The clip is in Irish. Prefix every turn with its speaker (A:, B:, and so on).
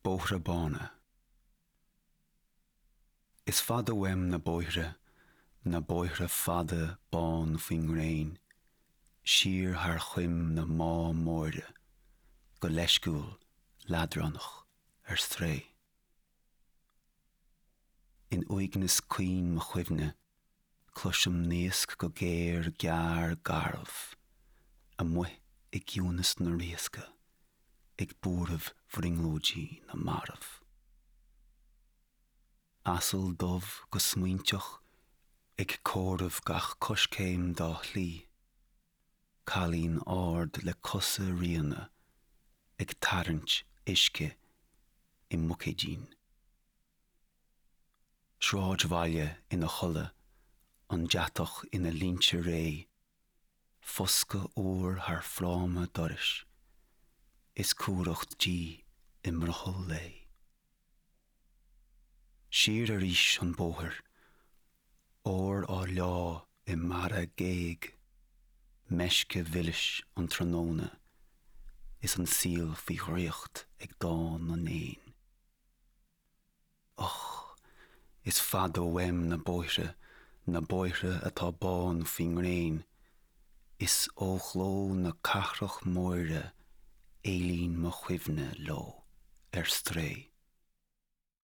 A: Bóithre Bána. Is fada uaim na bóithre, na bóithre fada bán faoin ngréin, siar thar choim na má móire, go leisciúil, leadránach, ar strae. In uaigneas caoin mo chuimhne, cloisim naosc go géar gearr garbh, amuigh i gciúnas na riasca, ag buaireamh bhrionglóidí na marbh. Asal dubh go smaointeach ag comhaireamh gach coiscéim dá shlí, cailín ard le cosa ríona ag tarraingt uisce i mbuicéidín. Sráidbhaile ina chodladh, an deatach ina línte réidh, foscadh úr thar fráma dorais, is cumhracht dí i mbrothall lae. Siar arís an bóthar, ór á leá i mbarra géag, meisce mhilis an tráthnóna is an saol faoi dhraíocht ag dán na n-éan. Och, is fada uaim na bóithre, na bóithre atá bán faoin ngréin, is ó ghleo na cathrach móire éalaíonn mo chuimhne leo ar strae.